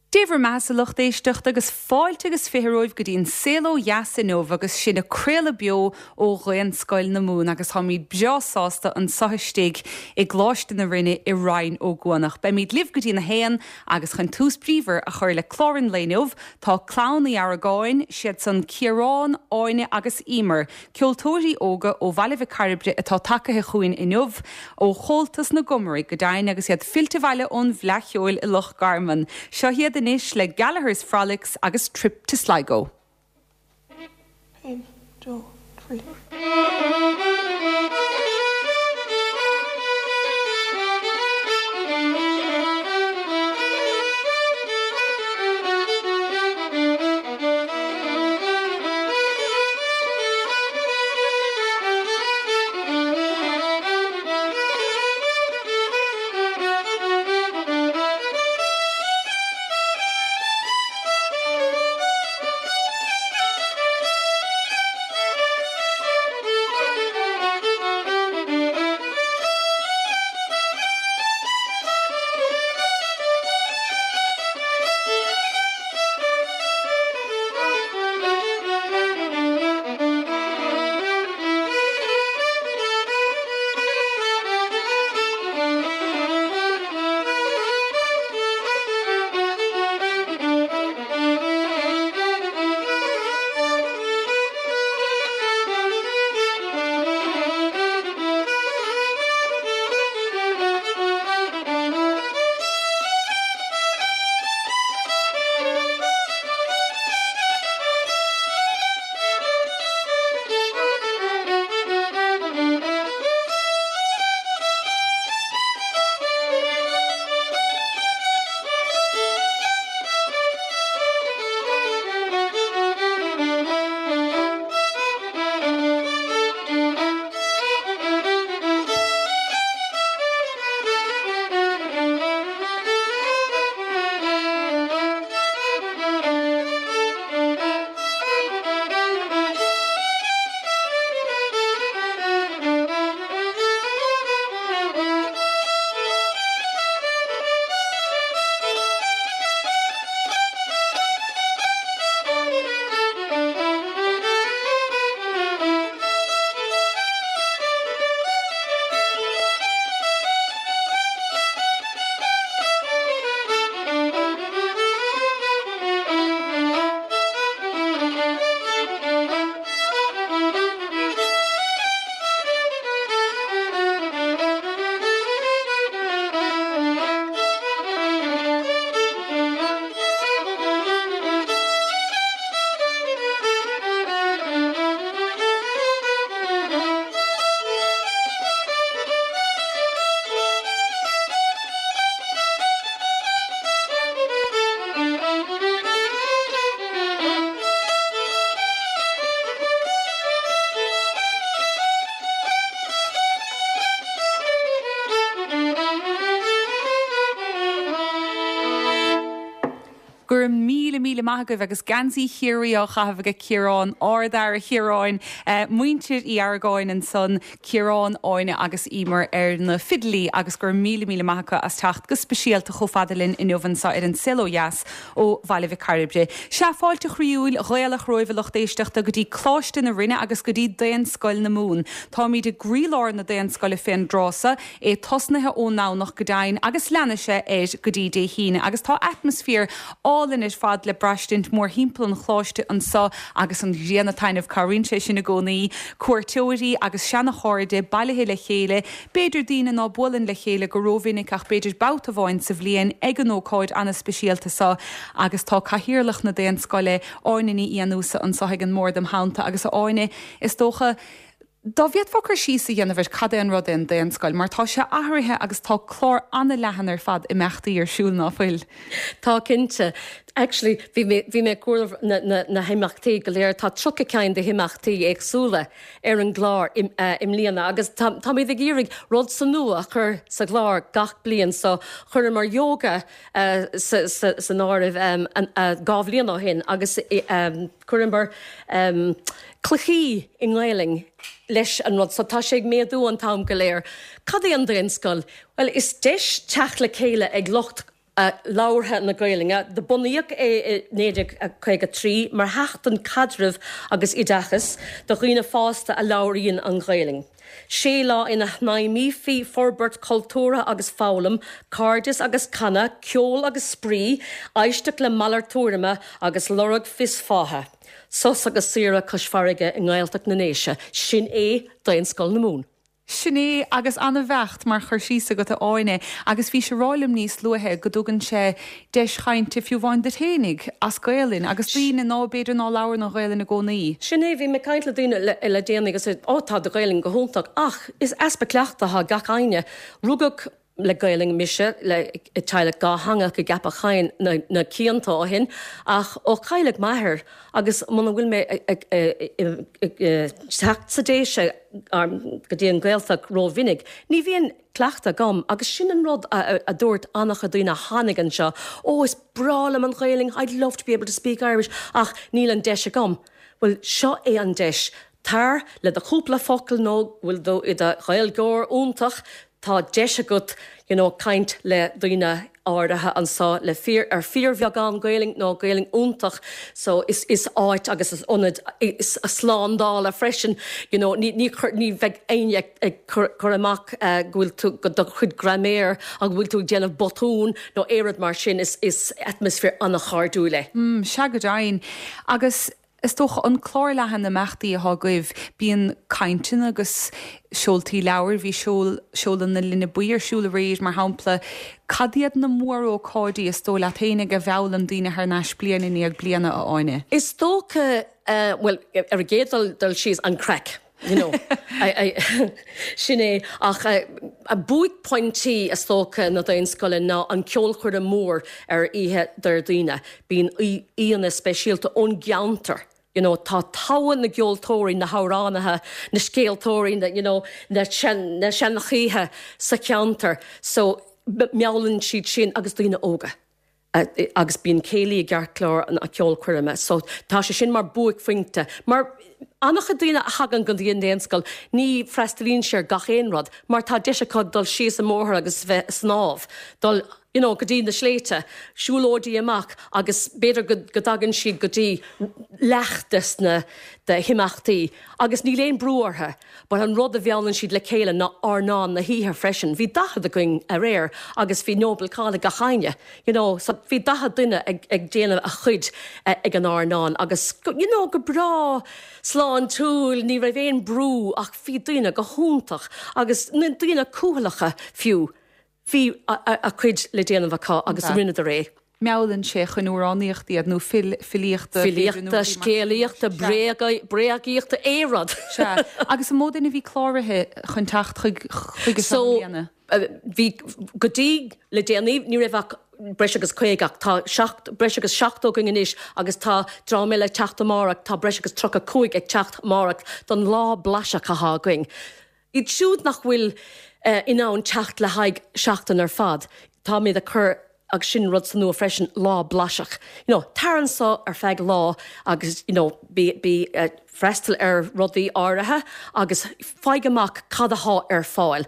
Dé bhur mbeathasa lucht éisteachta agus fáilte agus 20 romhaibh go dtí an Saol Ó Dheas inniu agus sinn ag craoladh beo ó Dhaonscoil na Mumhan agus táimid breá sásta anseo istigh i gColáiste na Rinne i Rinn Ó gCuanach. Beimid libh go dtí an 1 agus chun tús bríomhar a chur le clár an lae inniu tá Clann Uí Argáin, siad san Ciarán, Áine agus Emer, Ceoltóirí óga ó Bhaile Mhic Cairbre atá tagaithe chugainn inniu, ó Chomhaltas na gComaraigh go deimhin, agus iad fillte abhaile ón bhFleadh Cheoil i Loch Garman. Seo iad anois le Gallagher's Frolics agus Trip to Sligo. Aon, dó, trí. Go raibh míle míle maith agaibh agus geansaí Chiarraí á chaitheamh aige Ciarán, Ard-fhear a Chiaráin, muintir Uí Argáin ansan, Ciarán, Áine agus Emer ar na fidilí agus go raibh míle míle maith acu as teacht go speisialta chomh fada linn inniu anseo ar An Saol Ó Dheas ó Bhaile Mhic Cairbre. Sea, fáilte chroíúil Ghaelach romhaibh a lucht éisteachta go dtí Coláiste na Rinne agus go dtí Daonscoil na Mumhan. Táimid i gcroílár na Daonscoile fén dtráth so, é tosnaithe ón nDomhnach go deimhin agus leanfaidh sé air go dtí Dé hAoine agus tá atmaisféar álainn ar fad le braistint mórthimpeall an Choláiste anso agus an ghrian ag taitneamh, cabhraíonn sé sin i gcónaí. Cuairteoirí agus seana-chairde bailithe le chéile, b'fhéidir daoine ná buaileann le chéile go rómhinic ach b'fhéidir babhta amháin sa bhliain ag an ócáid ana-speisialta so agus tá Cathaoirleach na Daonscoile, Áine Ní Fhiannúsa anso ag an mbord im theannta agus a Áine, is dócha, Dá bhféadfá cur síos a dhéanamh ar cad é an rud é an Daonscoil, mar tá sé athraithe agus tá clár an-leathan ar fad imeachtaí ar siúl, ná fuil? Tá, cinnte. Actually, bhí mé, bhí mé ag comhaireamh na, na, na himeachtaí go léir. Tá 30 ceann de himeachtaí éagsúla ar an gclár i, i mbliana agus tá, táimid ag iarraidh rud sa nua a chur sa gclár gach bliain. So, chuireamar yoga sa, sa, san áireamh 2 bhliain ó shin agus chuireamar cluichí i nGaelainn leis an rud so tá sé ag méadú an t-am go léir. Cad é an Daonscoil? Bhuel, is deis teacht le chéile ag lucht. Labhartha na Gaelainne. Do bunaíodh é i 1953 mar sheachtain caidrimh agus oideachais do dhaoine fásta a labhraíonn an Ghaelainn. Sé lá ina shnaidhmeofaí forbairt cultúrtha agus foghlaim, cairdeas agus canadh, ceol agus spraoi, éisteacht le malairt tuairime agus lorg fios fátha. Sos agus saoire cois farraige i nGaeltacht na nDéise, sin é Daonscoil na Mumhan. Sin é, agus an-bheacht mar chur síos agat a Áine, agus bhís ag rá liom níos luaithe go dtugann sé deis chainte fiú amháin duit fhéinig as Gaelainn agus daoine ná b'fhéidir ná labhrann an Ghaelainn i gcónaí. Sin é, bhí mé ag caint le daoine le déanaí agus ó tá do Ghaelainn go hiontach ach is easpa cleachtaidh atá gach éinne. Rugadh le Gaelainn mise le i teaghlach dátheangach i gCeapach Choinn na cianta ó shin ach ó cailleadh m'athair agus muna bhfuil mé ag teacht sa Déise go dtí an Ghaeltacht rómhinic ní bhíonn cleachtadh agam agus sin an rud a dúirt an-chuid daoine a tháinig anseo, oh is breá liom an Ghaelainn, I'd love to be able to speak Irish ach níl an deis agam. Bhuel seo é an deis, tar le do chúpla focal nó go bhfuil tú i do Ghaeilgeoir iontach, tá deis agat you know caint le daoine áirithe anso le fíor ar fíorbheagán Gaelainn nó Gaelainn iontach so is is áit agus is ionad is slándála freisin you know ní ní chur ní bheidh éinne ag ag cur cur amach go bhfuil tú go do chuid graiméir agus go bhfuil tú ag déanamh botún nó aon rud mar sin is is atmaisféar an-chairdiúil é. Mm, sea go deimhin. Agus Is dócha, an clár leathan imeachtaí atá agaibh, bíonn cainteanna agus seoltaí leabhar, bhí seoladh na Linne Buí ar siúl aréir, mar shampla. Cad iad na mórócáidí is dóigh leat féinig a mheallann daoine thar n-ais bliain i ndiaidh bliana, a Áine? Is dócha, bhuel, ar an gcéad dul síos, an craic. You know, sin é. Ach buaicphointí, is dócha, na Daonscoile ná an ceolchoirm mór ar oíche Déardaoine. Bíonn aíonna speisialta ón gceantar. You know, tá togha na gceoltóirí, na hamhránaithe, na scéaltóirí, na, you know, na seanchaithe sa cheantar. So, meallann siad sin agus daoine óga. agus bíonn céilí i gceartlár na ceolchoirme so tá sé sin mar buaicphointe mar an-chuid daoine a thagann go dtí an Daonscoil ní freastalaíonn sé ar gach aon rud mar tá deis acu dul síos an mbóthar agus bheith ag snámh, dul you know go dtí na sléibhte, siúlóidí amach agus b'fhéidir go go dtagann siad go dtí leath des na de himeachtaí agus níl aon brú orthu. But an rud a mheallann siad le chéile ná airneán na hoíche freisin. Bhí 40 againn aréir agus bhí Noble Call ag gach éinne, you know, so bhí 40 duine ag ag déanamh a chuid ag an airneán agus you know go breá sláintiúil, ní raibh aon brú ach bhí daoine go hiontach agus na daoine cúthaileacha fiú. Bhí a cuid le déanamh acu agus rinneadar é. Meallann sé chun amhránaíochta iad nó filíochta. Filíochta, scéalaíochta, bréagaíochta, aon rud. Sea. Agus an mó duine a bhí cláraithe chun teacht chuige seo i mbliana? Bhí, go dtí le déanaí, ní raibh ach breis agus 50 ach tá breis agus 70 againn anois agus tá dream eile ag teacht amárach, tá breis agus 35 ag teacht amárach don lá blaiseach atá againn. Iad siúd nach bhfuil in ann teacht le haghaidh seachtain ar fad, táimid ag cur, agus sin rud sa nua freisin, lá blaiseach. You know, tar anso ar feadh lá agus you know, bí, bí, freastal ar rudaí áirithe agus faigh amach cad athá ar fáil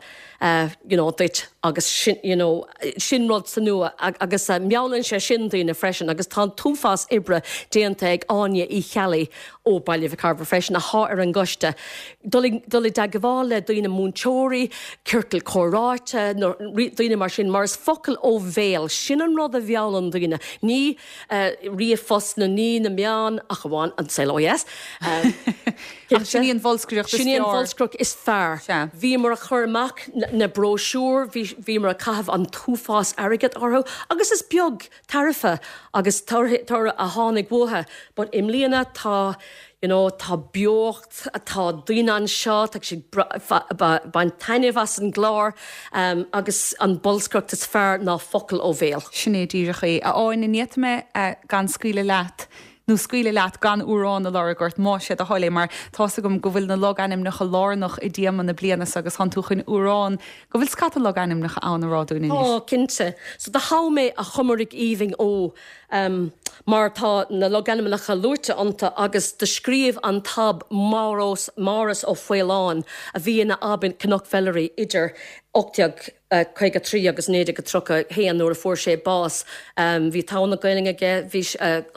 you know, duit agus sin, you know, sin rud sa nua agus meallann sé sin daoine freisin agus tá an t-uafás oibre déanta ag Áine Uí Cheallaigh ó Baile Mhic Arbhair freisin athá ar an gcoiste. Dul i dteagmháil le daoine, múinteoirí, ciorcal comhráite, nó daoine mar sin, mar is focal ó bhéal, sin an rud a mheallann daoine, ní ríomhphost nó ní na meáin, ach amháin an saol ó dheas. Ach sin í an bholscaireacht is fearr. Sin í an bholscaireacht is fearr. Bhíomar ag cur amach na bróisiúir, bhíomar ag caitheamh an t-uafás airgead orthu agus is beag tairbhe agus toradh a tháinig uathu but i mbliana tá you know tá beocht, tá daoine anseo, tá siad ag baint taitneamh as an gclár agus an bolscaireacht is fearr ná focal ó bhéal. Sin é díreach é. A Áine, ní fhéadfaidh mé gan scaoileadh leat, nó scaoileadh leat gan amhrán a lorg ort, más é do thoil é, mar tá's agam go bhfuil na logainmneacha lárnach i dtéama na bliana seo agus tánn tú chun amhrán go bhfuil scata logainmneacha ann a rá dúinn anois. Tá, cinnte. So do thogh mé A Chomaraigh Aoibhinn Ó mar tá na logainmneacha luaite iontu agus do scríobh an tAb Márus Ó Faoláin, a bhí ina ab in Cnoc Mheilearaí idir 18. 1953 agus 1931 nuair a fuair sé bás. Bhí togha na Gaelainne aige, bhí,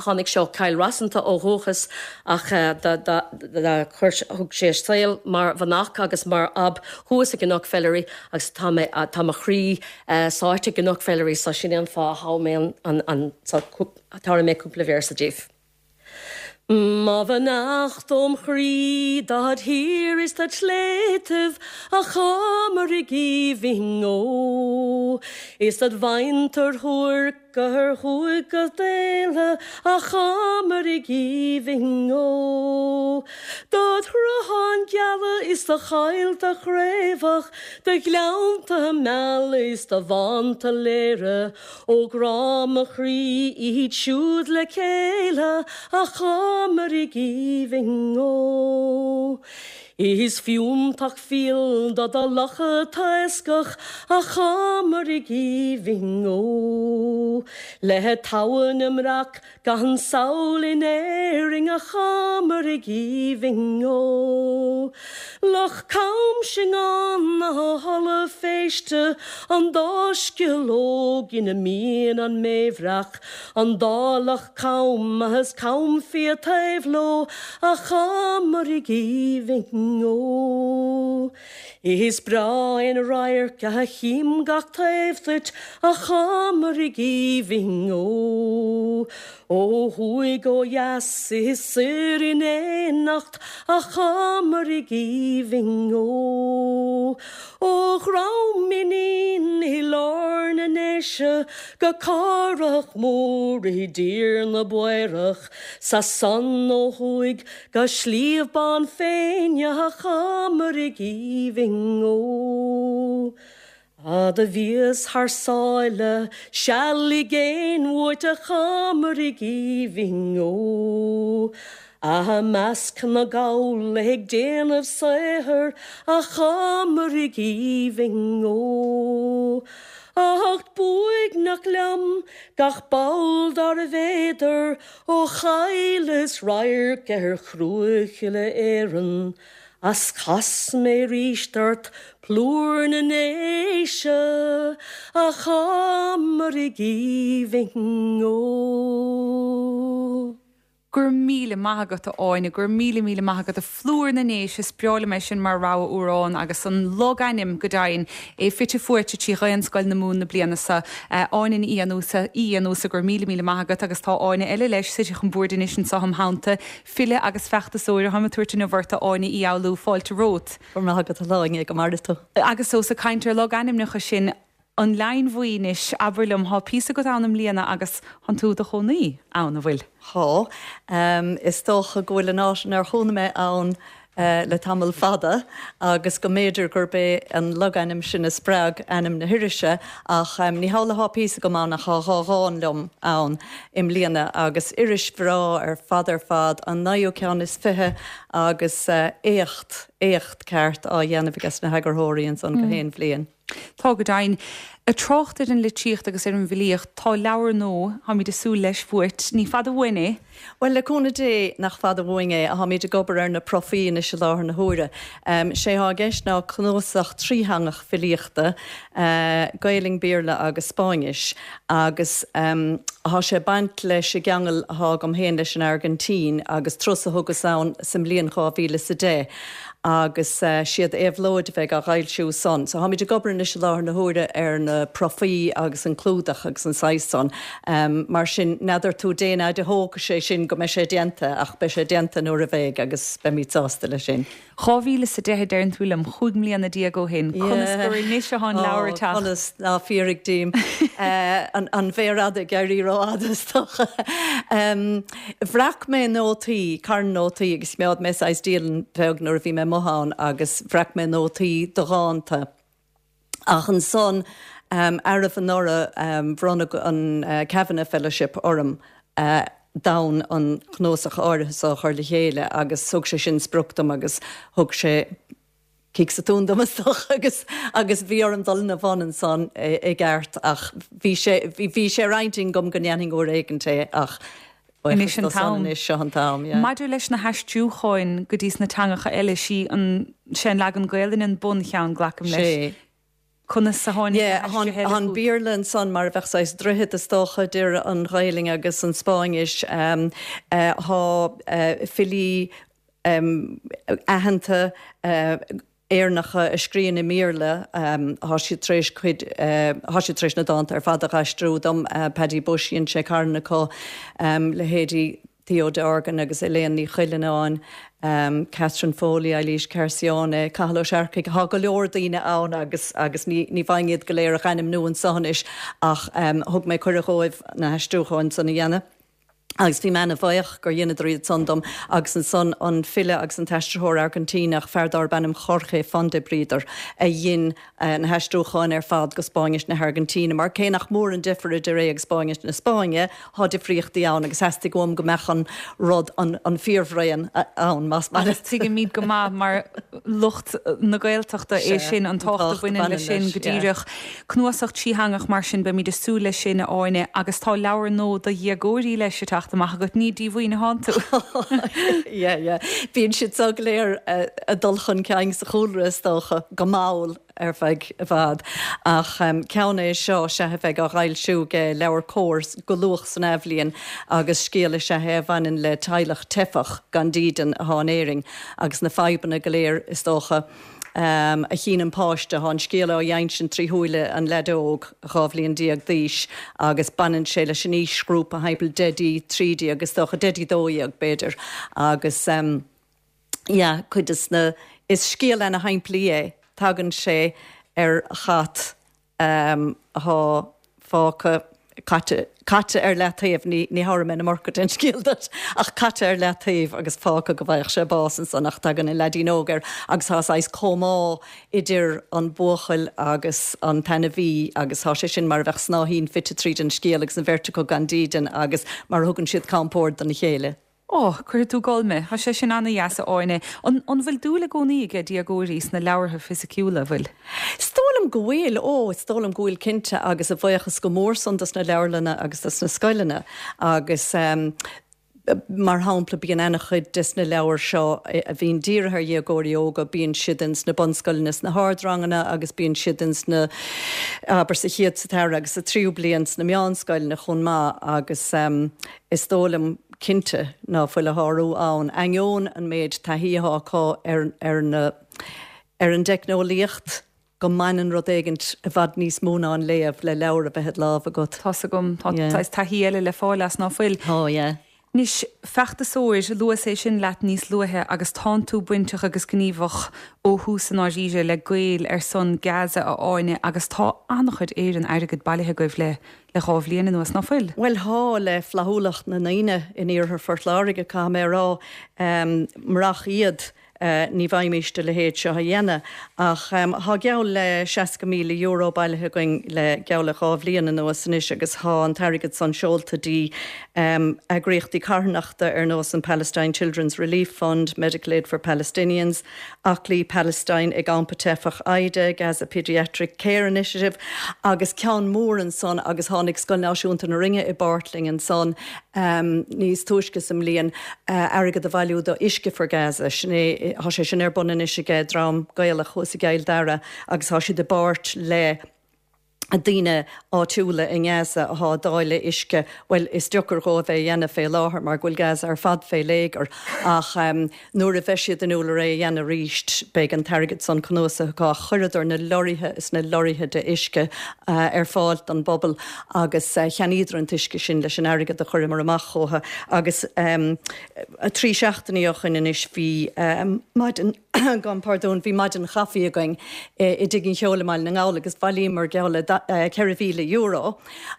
tháinig sé ó Chill Rosanta ó dhúchas ach chuir, thug sé a saol mar mhanach agus mar ab thuas i gCnoc Mheilearaí agus tá mé, tá mo chroí sáite i gCnoc Mheilearaí so sin é an fáth a thogh mé an, an, so tabharfaidh mé cúpla véarsa daoibh. Mo bheannacht óm chroí dod thír is dod shléibhtibh, a Chomaraigh aoibhinn ó. Is dod mhuintir shuairc ó thuaidh go Éile, a Chomaraigh aoibhinn ó. Dod shrutháin gheala is do choillte craobhach, do ghleannta meala is do bhánta léire, Ó grá mo chroí iad siúd le chéile a Chomaraigh aoibhinn ó. Is fiúntach fial do do locha taoscach a Chomaraigh aoibhinn ó. Le togha na mbreac Gan samhail in Éirinn a Chomaraigh aoibhinn ó. Loch Cam Singeán na Halla Féiste an dá sceallóg ina mbíonn an mébhreac, an dá loch cam is cam fia taobh leo a Chomaraigh aoibhinn ó. Is breá an radharc a chím gach taobh duit, a Chomaraigh aoibhinn ó. Ó thuaidh, ó dheas, is soir in éineacht, a Chomaraigh aoibhinn ó. Ó Dhrom Inín i lár na nDéise go Cárthach Mór i dtír na bPaorach, 's as san ó thuaidh Go Sliabh Bán Féinne a Chomaraigh aoibhinn ó. Fhad a bhíos thar sáile seal i gcéin uait a Chomaraigh aoibhinn ó. I measc na gcall ag déanamh saothair a Chomaraigh aoibhinn ó. Ach b'uaigneach liom gach ball darbh fhéidir Ó chailleas radharc ar chruach uile Éireann, As chas mé aríst ort plúr na nDéise, A Chomaraigh aoibhinn ó. Go raibh míle maith agat, a Áine, go raibh míle míle maith agat, a Phlúr na nDéise, is breá liom é sin mar rogha amhrán agus an logainm go deimhin, é fite fuaite trí Ghaelscoil na Mumhan na bliana seo. Áine Ní Fhiannúsa, Uí Fhiannúsa, go raibh míle míle maith agat agus tá Áine eile leis suite chun boird anois anseo im theannta, file agus feachtasóir atáim ag tabhairt inniu ort, a Áine Uí Fhoghlú, fáilte romhat. Go raibh maith agat a Shláine, go maire tú. Agus ós ag caint ar logainmneacha sinn, An Leidhin Bhuí anois, abair liom, thá píosa agat ann i mbliana agus thánn tú i do chónaí ann, an bhfuil? Thá. Is dócha go bhfuil an áit inar chónaigh mé ann le tamall fada agus go mb'fhéidir gurb é an logainm sin a spreag ainm na hirise ach ní hamhlaidh thá píosa agam ann ach thá dhá dhán liom ann i mbliana agus iris bhreá ar fad ar fad, an naoú ceann is fiche agus éacht, éacht ceart á dhéanamh aige sna heagarthóirí ansan gach aon bhliain. Tá go deimhin. Ag trácht ar an litríocht agus ar an bhfilíocht, tá leabhar nua, táimid ag súil leis, uait. Ní fada uainn é. Bhuel, le cúnamh Dé, nach fada uainn é. Táimid ag obair ar na profaí anois i láthair na huaire. Sé thá i gceist ná cnuasach trítheangach filíochta, Gaelainn, Béarla agus Spáinnis, agus thá sé ag baint leis an gceangal athá agam féin leis an Airgintín agus turas a thugas ann sa mbliain 2010. agus siad Éabhlóid a bheidh á dh'fhoilsiú san. So tháimid ag obair anois i láthair na huaire ar na profaí agus an clúdach agus an saghas san. Mar sin, n'fheadar tú dén fhaid a thógfaidh sé sin go mbeidh sé déanta ach beidh sé déanta nuair a bheidh agus beimid sásta leis sin. 2010 a deireann tú liom, 15 mbliana ó shin. Conas gur anois atá an leabhar ag teacht? Conas? Ná fiafraigh díom. An mhéar fhada ag éirí rófhada is dócha. Bhreac mé nótaí, carn nótaí, agus choimeád mé saghas dialann bheag nuair a bhí mé amuigh ann agus bhreac mé nótaí do dhánta. Ach ansan, arbh anuraidh, bhronn an Kavanagh Fellowship orm d'fhonn an cnuasach áirithe so a chur le chéile agus thug sé sin sprioc dom agus thug sé cic sa tóin dom is dócha agus agus bhí orm dul ina bhun ansan i gceart ach bhí sé bhí sé ar intinn agam go ndéanfainn uair éigint é ach Anois an t-am. Anois seo an t-am, yeah. Maidir leis na haistriúcháin go dtí sna teangacha eile, sí an sé an leagan Gaelainne an buncheann, glacaim leis. Sé. Conas a tháinig na haistrithe eile Tá an chugat? Béarla ansan mar a bheadh saghas droichead is dócha idir an Ghaelainn agus an Spáinnis. Tá filí aitheanta Éireannacha a scríonn i mBéarla, tá siad tar éis cuid, tá siad tar éis na dánta ar fad a dh'aistriú dom, Paddy Bushe, dhein sé carn acu, leithéidí Theo Dorgan agus Elaine Ní Chuilleanáin, Catherine Foley, Eilís Carcione, Cathal Ó Searcaigh, tá go leor daoine ann agus agus ní ní bhfaighinn iad go léir a dh'ainmniú anso anois ach thug mé cuireadh dhóibh na haistriúcháin san a dhéanamh agus bhí mé ana-bhaoch gur dheineadar iad san dom agus ansan an file agus an t-aistritheoir Airgintíneach, fear dárb ainm Jorge Fondebrider a dhein na haistriúcháin ar fad go Spáinnis na hAirgintíne, mar cé nach mór an deifir idir é agus Spáinnis na Spáinne, thá difríochtaí ann agus theastaigh uaim go mbeadh an rud, an fíorbhraon ann, más maith Agus leat. tuigimid go maith mar lucht na Gaeltachta é Sea, sin, an an tábhacht a tábhacht a bhaineann leis bhaineann sin, leis, go yeah. díreach. Cnuasach trítheangach mar sin, beimid ag súil leis sin, a Áine, agus tá leabhar nua do dhéagóirí leis ag teacht amach agat, ní díomhaoin atánn tú! Yeah, yeah. Bíonn siad so go léir ag dul chun cinn sa chúlra, is dócha, go mall ar feadh i bhfad. Ach ceann é seo, sea, a bheidh á fhoilsiú ag LeabhairCOMHAR go luath san athbhliain agus scéal is ea é a bhaineann le teaghlach teifeach gan dídean atá in Éirinn agus na fadhbanna go léir, is dócha, a chíonn an páiste. Tá an scéal á dh'insint trí shúile an leaid óg, 12 bhliain d'aois, agus baineann sé leis an aoisghrúpa thimpeall 10 dtí 13, is dócha, 10 dtí 12, b'fhéidir. Agus yeah, cuid des na, is scéal ana-shimplí é. Tagann sé ar chat athá fágtha caite, caite ar leataobh, ní, ní thabharfaidh mé an iomarca den scéal duit, ach caite ar leataobh agus fágtha go bhfaigheadh sé bás ansan ach tagann an leaidín óg air agus tá saghas comhbhá idir an buachaill agus an t-ainmhí agus tá sé sin mar a bheadh snáithín fite tríd an scéal agus an bheirt acu gan dídean agus mar a thugann siad compord dona chéile. Ó, cuirfidh tú ag gol mé. Tá sé sin ana-dheas, a Áine. An, an bhfuil dúil i gcónaí aige déagóirí sna leabhartha fisiciúla, an bhfuil? Is dóigh liom go bhfuil, ó, is dóigh liom go bhfuil cinnte agus a bhuíochas go mór san dos na leabharlanna agus dos na scoileanna agus mar shampla bíonn ana-chuid des na leabhair seo a bhíonn dírithe ar dhéagóirí óga, bíonn siad ins na bunscoileanna sna hardranganna agus bíonn siad ins na, abair sa chéad, sa dara agus sa tríú bliain sna meánscoileanna chomh maith agus Is dóigh liom cinnte ná fuil a shárú ann, ainneoin an méid taithí athá acu ar ar na ar an dteicneolaíocht, go mbaineann rud éigint i bhfad níos mó ná an léamh le leabhar a bheith id lámh agat. Tá's agam. Tá Yeah. saghas taithí eile le fáil as, ná fuil? Tá, yeah. Anois, feachtasóir, luas é sin leat níos luaithe agus tánn tú bainteach agus gníomhach ó thús i ndáiríre le Gaeil ar son Gaza, a Áine, agus tá an-chuid Éireann airgid bailithe agaibh le le dhá bhliain anuas, ná fuil? Bhuel, thá, le flaithiúlacht na ndaoine in iarthar Phort Láirge, caithfidh mé a rá. Murach iad, ní bhfaighimíst a leithéid seo a dhéanamh. Ach thá geall le €60,000 bailithe againn le geall le dhá bhliain anuas anois agus thá an t-airgead san seolta dtí eagraíochtaí carthanachta ar nós an Palestine Children's Relief Fund, Medical Aid for Palestinians, Aclaí Palestine i gCampa Teifeach Aida, Gaza Paediatric Care Initiative agus ceann mór ansan agus tháinig Scoil Náisiúnta na Rinne i bpáirt linn ansan níos túisce sa mbliain, airgead a bhailiú do Uisce for Gaza. Sin é, tá sé sin ar bun anois aige dream Gaelach thuas i gCill Dara agus tá siad i bpáirt le daoine áitiúla i nGaza athá ag dáileadh uisce, bhuel, is deocair dhóibh é a dhéanamh fé láthair mar go bhfuil Gaza ar fad fé léigear, ach nuair a bheidh siad inniúil ar é a dhéanamh arís, beidh an t-airgead san cnuasaithe acu. Ach chuireadar na lorraithe is na lorraithe de uisce ar fáil don bpobal agus cheannaíodar an t-uisce sin leis an airgead a chuireamar amach chucu. Agus trí seachtainí ó shoin anois bhí maidin. Gabhaim pardún, bhí maidin chaife againn i dTigh an Cheoil i mBaile na nGall agus bhailíomar geall le €4,000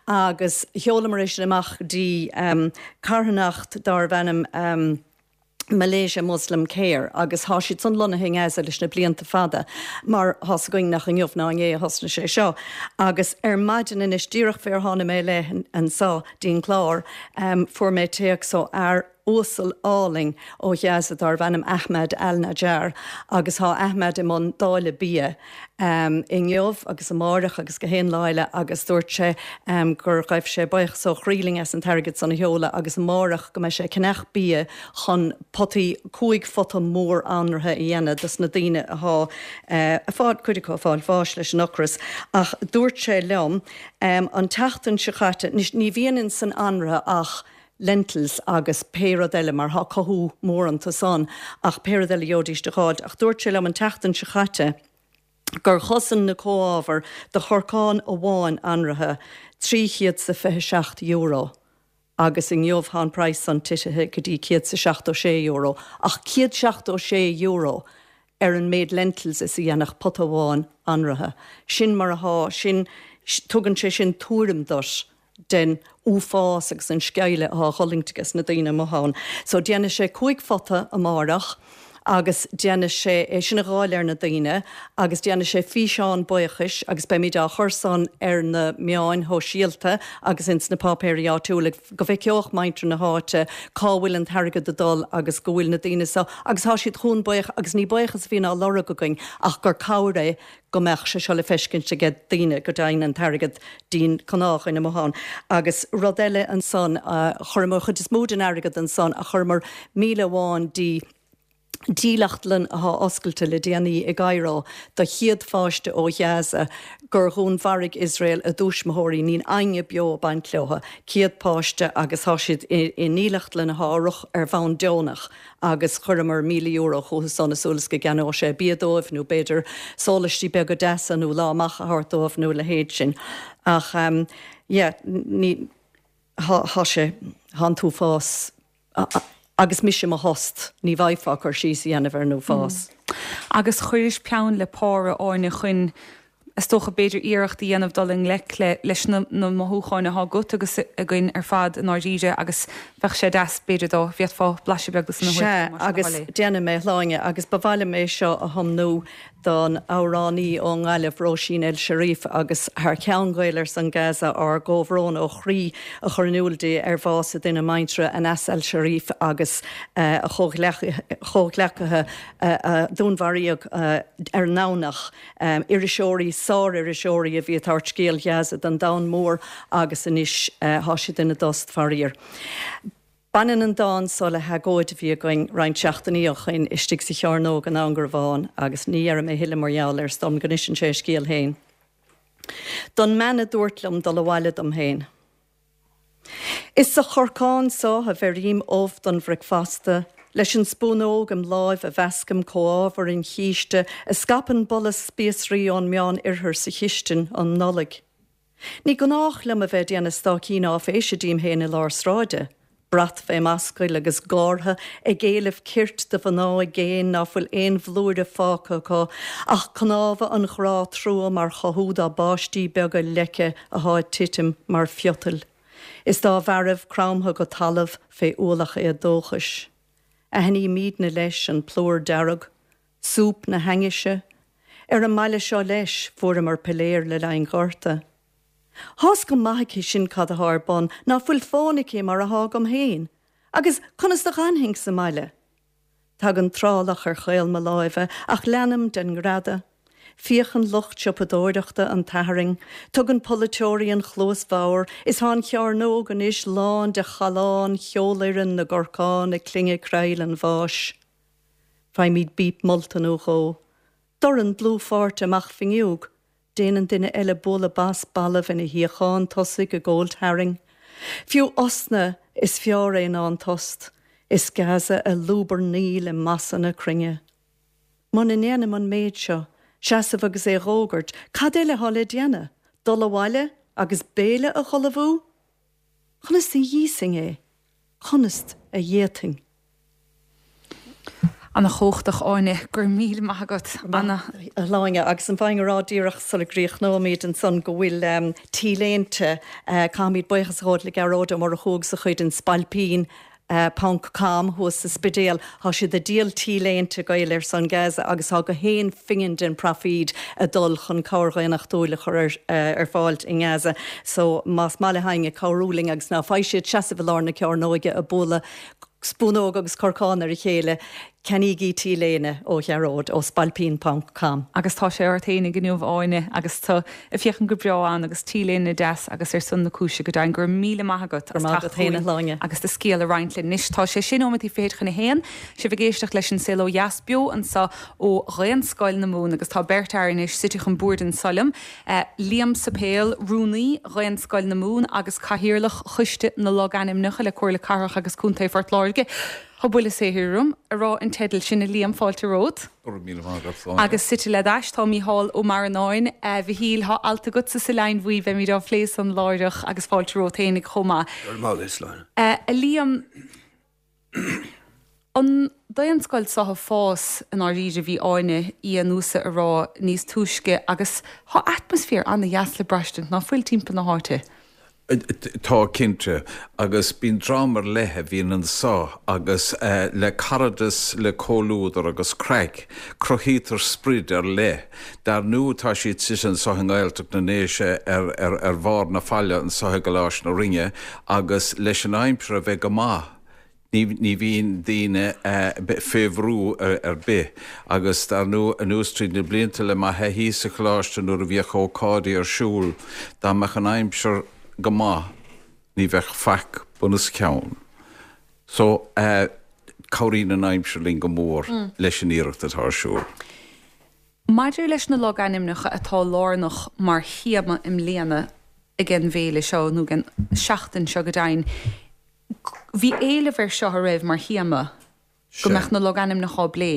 agus sheolamar é sin amach go dtí carthanacht darbh ainm Malaysia Muslim Care agus thá siad san lonnaithe i nGaza leis na blianta fada mar thá's againn nach inniu ná inné a thosnaigh sé seo agus ar maidin anois díreach fé ar tháinig mé i leith anso dtí'n clár fuair mé téacs ó fhear. uasal álainn ó Ghaza darbh ainm Ahmad Al-Najjar agus thá Ahmad i mbun dáileadh bia inniu agus amáireach agus gach aon lá eile agus dúirt sé gur ghaibh sé buíochas ó chroí linn as an t-airgead san a sheoladh agus amáireach go mbeidh sé ag ceannach bia chun potaí, 5 phota mór anraithe a dhéanamh dos na daoine athá ag fáil, cuid acu ag fáil bháis leis an ocras. Ach dúirt sé liom an tseachtain seo chaite, anois ní bhíonn ins an anraithe ach lentils agus pé rud eile mar thá cothú mór iontu san ach pé rud eile a gheobhaidís a dh'fháilt. Ach dúirt sé liom an tseachtain seo chaite gur chosain na comhábhair do chorcán amháin anraithe €327 agus inniu thá an praghas san titithe go dtí €176. Ach €176 ar an méid lentils is a dhéanfadh pota amháin anraithe. Sin mar athá, sin, tugann sé sin tuairim duit den uafás agus an sceimhle athá á dh'fhulaingt ages na daoine amuigh ann. So déanfaidh sé 5 phota amáireach agus déanfaidh sé é sin a dháileadh ar na daoine agus déanfaidh sé físeán buíochais agus beimid á chur san ar na meáin shóisialta agus ins na páipéirí áitiúla go bhfeiceodh muintir na háite cá bhfuil an t-airgead ag dul agus go bhfuil na daoine so agus thá siad chugainn buíoch agus ní buíochas a bhíonn á lorg againn ach gur cabhair é go mbeadh sé seo le feiscint aige daoine, go dtéann an t-airgead dtí'n gnáthdhuine amuigh ann. Agus rud eile ansan, chuireamar an chuid is mó den airgead ansan ach chuireamar 1,000 amháin dtí dílleachtlann athá oscailte le déanaí i gCairo do chéad pháiste ó Ghaza gur dhúnmharaigh Iosrael a dtuismitheoirí, níl éinne beo ag baint leotha, 100 páiste agus thá siad i ndílleachtlann athá á rith ar bhonn deonach. agus chuireamar €1,000 chucu san i súil is go gceannódh sé bia dóibh nó b'fhéidir sólaistí beaga deasa nó lá amach a thabhairt dóibh nó a leithéid sin. Ach yeah, ní, thá, thá sé, thá an t-uafás agus mise i mo thost, ní bhfaighfeá cur síos a dhéanamh ar an uafás. Agus chuiris peann le pár, a Áine, chun is dócha, b'fhéidir iarracht a dhéanamh dul i ngleic le, leis na, na mothúcháin athá agat agus againn ar fad i ndáiríre agus bheadh sé deas, b'fhéidir, dá bhféadfá blaiseadh beag de san a thabhairt Sea, agus déanfaidh mé, a Shláine, agus ba mhaith liom é seo a thiomnú don amhránaí ón nGaillimh, Róisín El Cherif, agus thar ceann Gael ar son Gaza, ár gcomhbhrón ó chroí a chur in iúl di ar bhás a duine muinteartha, Anas El Cherif, agus a chomhghleacaithe a dúnmharaíodh ar an nDomhnach. Iriseoirí, sár-iriseoirí a bhí ag tabhairt scéal Ghaza don domhan mór agus anois thá siad ina dtost, faraor. Baineann an dán so le hagóid a bhí againn roinnt seachtainí ó shoin istigh sa Chearnóg in Indreabhán agus ní dhéarfaidh mé thuilleadh mar gheall air, is dóigh liom go n-inseann sé a scéal féin. Don mbean a dúirt liom dul abhaile dom féin. Is sa chorcán so a bheirím ubh don bhricfeasta, leis an spúnóg im láimh a mheascaim comhábhair an chíste a scaipeann boladh spíosraí ón Meán-Oirthear sa chistin um Nollaig. Ní gnách liom a bheith ag déanamh stáicín áiféise díom féin i lár sráide. Brat fé m'ascaill agus gártha ag éileamh cirt do mhná i gcéin ná fuil aon bhlúire fágtha acu ach cnámha an ghrá trua mar chothú dá bpáistí beaga leice athá ag titim mar phiotail is dá bhfearaibh cromtha go talamh fé ualach éadóchais. Aithnímídne leis an plúr dearg, súp na hainnise. Ar an mbaile seo leis fuaireamar piléar le linn Ghorta. Thá's go maith aici sin cad athá ar bun, ná fuil fón aici mar athá agam féin, agus conas do dh'fhanfainn sa mbaile? Tagann trálach ar chaol mo láimhe, ach leanaim den ngreadadh. Féachann lucht siopadóireachta an tSathairn, tugann polaiteoirí an chluas bhodhar, is thá an chearnóg anois lán de challán cheolfhoireann na gcorcán ag clingeadh creill an bháis. Faighimid bíp molta nó dhó. Dorn dlúthpháirte amach fuinneog. Déanann duine eile bualadh bas balbh ina shuíochán tosaigh ag gabháilt tharainn. Fiú osna, is fearr é ná an tost. Is Gaza ag lúbarnaíl i masa na cruinne. Muna ndéanaim an méid seo, seasamh agus é a dh'fhógairt, cad eile thá le déanamh? Dul abhaile agus béile a dh'ullmhú? Conas a dh'íosfainn é? Conas a dh'fhéadfainn? Ana chumhachtach, Áine. Go raibh míle maith agat. Ana. A Shláine, agus an bhfaighinn a rá díreach sula gcríochnóimid ansan go bhfuil T-léinte, caithfimid buíochas a ghabháil le Gearóid Ó Murchú agus a chuid, an Spailpín ponc com thuas sa Spidéal, tá siad ag díol T-léinte Gael ar son Gaza agus tá gach aon phingin den phroifíd ag dul chun cabhair dhaonnachtúil a chur ar fáil i nGaza. So más maith le héinne cabhrú linn agus ná faighidh siad seasamh i lár na cearnóige ag bualadh. spúnóg agus corcán ar a chéile, ceannaígí T-léine ó Ghearóid ó spailpín ponc com. Agus tá sé ort fhéinig inniu Áine agus tú ag féachaint go breá ann agus T-léine deas agus ar son na cúise go deimhin. Go raibh míle maith agat as teacht chugainn agus do scéal a roinnt linn. Anois tá sé sé nóiméadaí fichead chun a haon, sibh ag éisteacht leis An Saol Ó Dheas beo anseo ó Dhaonscoil na Mumhan agus tá beirt fhear anois suite chun boird anso liom. Liam Suipéil, Rúnaí Dhaonscoil na Mumhan agus Cathaoirleach Choiste na Logainmneacha le Comhairle Cathrach agus Contae Phort Láirge. Tá buille saothair orm a rá an teideal sin, a Liam, fáilte romhat. Go raibh míle maith agat, Sláine. Agus suite led ais tá Mícheál Ó Marannáin. A Mhichíl, tá alt agatsa sa Leidhinn Bhuí, beimid á phlé san láithreach agus fáilte romhat fhéinig chomh maith. Go raibh maith agat, Sláine. A Liam, An Daonscoil seo ag fás i ndáiríre, bhí Áine Uí Fhiannúsa a rá níos túisce agus tá atmaisféar ana-dheas le braistint, ná fuil, timpeall na háite? Tá, cinnte. Agus bíonn dream ar leith a bhíonn anso agus le caradas, le comhluadar agus craic, cruthaítear sprid ar leith. Dar ndú tá siad suite anso i nGaeltacht na nDéise ar bharr na faille anso i gColáiste na Rinne agus leis an aimsir a bheith go maith, Ní bhíonn daoine fé bhrú ar bith agus dar ndú anuas tríd na blianta le mo thaithí sa choláiste nuair a bhíodh ócáidí ar siúl, dá mbeadh an aimsir go maith ní bheadh faic bunoscionn. So cabhraíonn an aimsir linn go mór leis an iarracht atá ar siúl. Maidir leis na logainmneacha atá lárnach mar théama i mbliana ag an bhféile seo, nó ag an seachtain seo go deimhin, bhí éileamh air seo, an raibh, mar théama, go mbeadh na logainmneacha á bplé?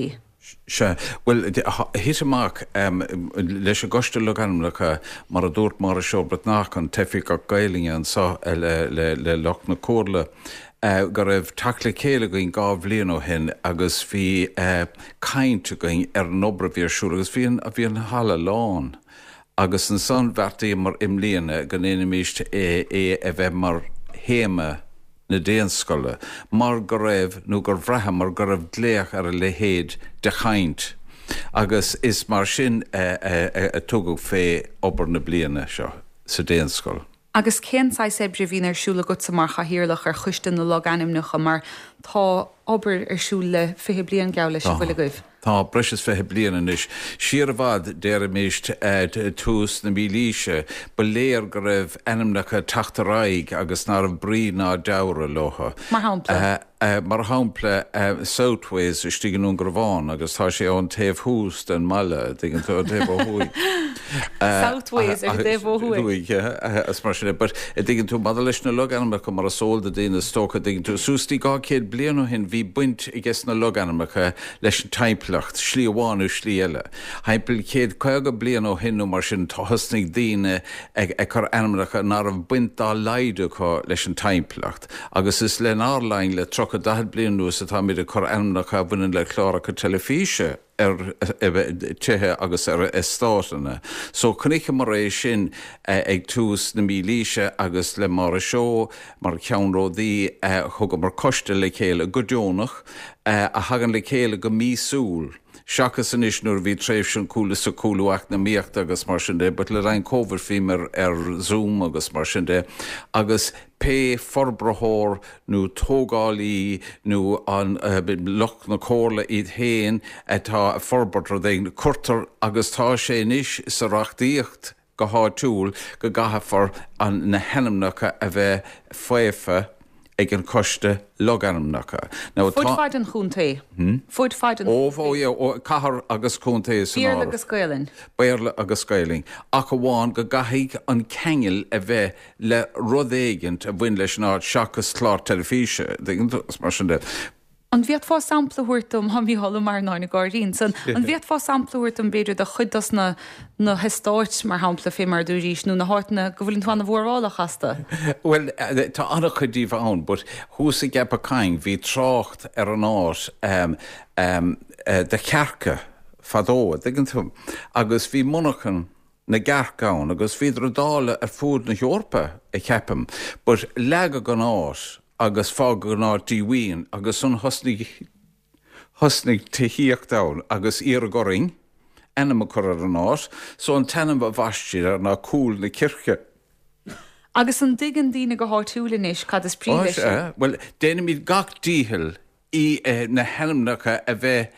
Sea. Bhuel, thit amach leis an gCoiste Logainmneacha, mar a dúirt Máire Seó Breatnach, an tOifigeach Gaelainne anseo le lucht na Comhairle, go raibh teacht le chéile againn 2 bhliain ó shin agus bhí caint againn ar an obair a bhí ar siúl agus bhí an, bhí an halla lán agus ansan bheartaíomar i mbliana go ndéanfaimis é a bheith mar théama na Daonscoile mar go raibh, nó gur bhraitheamar go raibh glaoch ar a leithéid de chaint agus is mar sin a tugadh fé obair na bliana seo sa Daonscoil. Agus cén saghas oibre a bhíonn ar siúl agatsa mar chathaoirleach ar Choiste na Logainmneacha mar tá obair ar siúl le 20 bliain, geall leis, an bhfuil agaibh? Tá, breis is 20 bliain anois. Siar i bhfad, déarfaimis tús na mílaoise, ba léir go raibh ainmneacha ag teacht ar aghaidh agus ná raibh brí ná dealramh leo. Mar shampla? Mar shampla, Southways istigh i nDún Garbhán agus tá sé ón taobh thuas den mbaile, an dtuigeann tú, an taobh ó thuaidh. Southways ar an taobh ó thuaidh. Thuaidh, is mar sin é. But, an dtuigeann tú, maidir leis na logainmneacha, mar is eol do daoine is dócha, an dtuigeann tú, suas dtí 200 bliain ó shin bhí baint ages na logainmneacha leis an timpeallacht, slí amháin nó slí eile. Thimpeall 150 bliain ó shin nó mar sin thosnaigh daoine ag cur ainmneacha ná raibh baint dá laghad acu leis an timpeallacht. Agus is lenár linn, le 30, 40 bliain anuas, atáimid ag cur ainmneacha a bhaineann le cláracha teilifíse ar tithe agus ar eastáiteanna. So chonaiceamar é sin ag tús na mílaoise agus le Máire Seó mar cheannródaí thugamar coiste le chéile go deonach a thagann le chéile go míosúil. Seachas anois nuair a bhí tréimhse an cúlú sa chúlú eacnamaíochta agus mar sin de, but le linn Covid bhíomar ar Zoom agus mar sin de agus pé forbraitheoir nó tógálaí nó an lucht na comhairle iad féin atá ag forbairt rud éigin, cuirtear agus tá sé anois sa reachtaíocht go háitiúil go gcaithfear an na hainmneacha a bheith faofa ag an choiste logainmneacha. Now Fud tá. faid an chontae. Fud faid an Ó, ó, yeah, ó, cathair agus contae san Béarla áireamh. agus Gaelainn. Béarla agus Gaelainn. Ach amháin go gcaithfidh an ceangal a bheith le rud éigint a bhain leis an áit seachas clár teilifíse, an dtuigeann tú, is mar sin de. An bhféadfá sampla a thabhairt dom, tá Mícheál Ó Marannáin ag gáirí ansan, an bhféadfá sampla a thabhairt dom b'fhéidir de chuid dos na na heastáit, mar shampla, fé mar a dúraís, nó na háiteanna go bhfuileann tú ana-mhórálach astu? Bhuel, tá an-chuid díobh ann, but thuas i gCeapach Chuinn bhí trácht ar an áit do chearca fadó, an dtuigeann tú, agus bhí monarchan na gcearc ann agus bhíodar á dáileadh ar fuaid na hEorpa, a cheapaim, but leagadh an áit agus fágadh an áit díomhaoin agus ansan thosnaigh thosnaigh tithíocht ann agus iarradh orainn ainm a chur ar an áit so an t-ainm a bhaist siad air ná Cúl na Circe. Agus an dtuigeann daoine go háitiúil anois cad is brí leis sin? Bhuel, déanaimid gach dícheall í na hainmneacha a bheith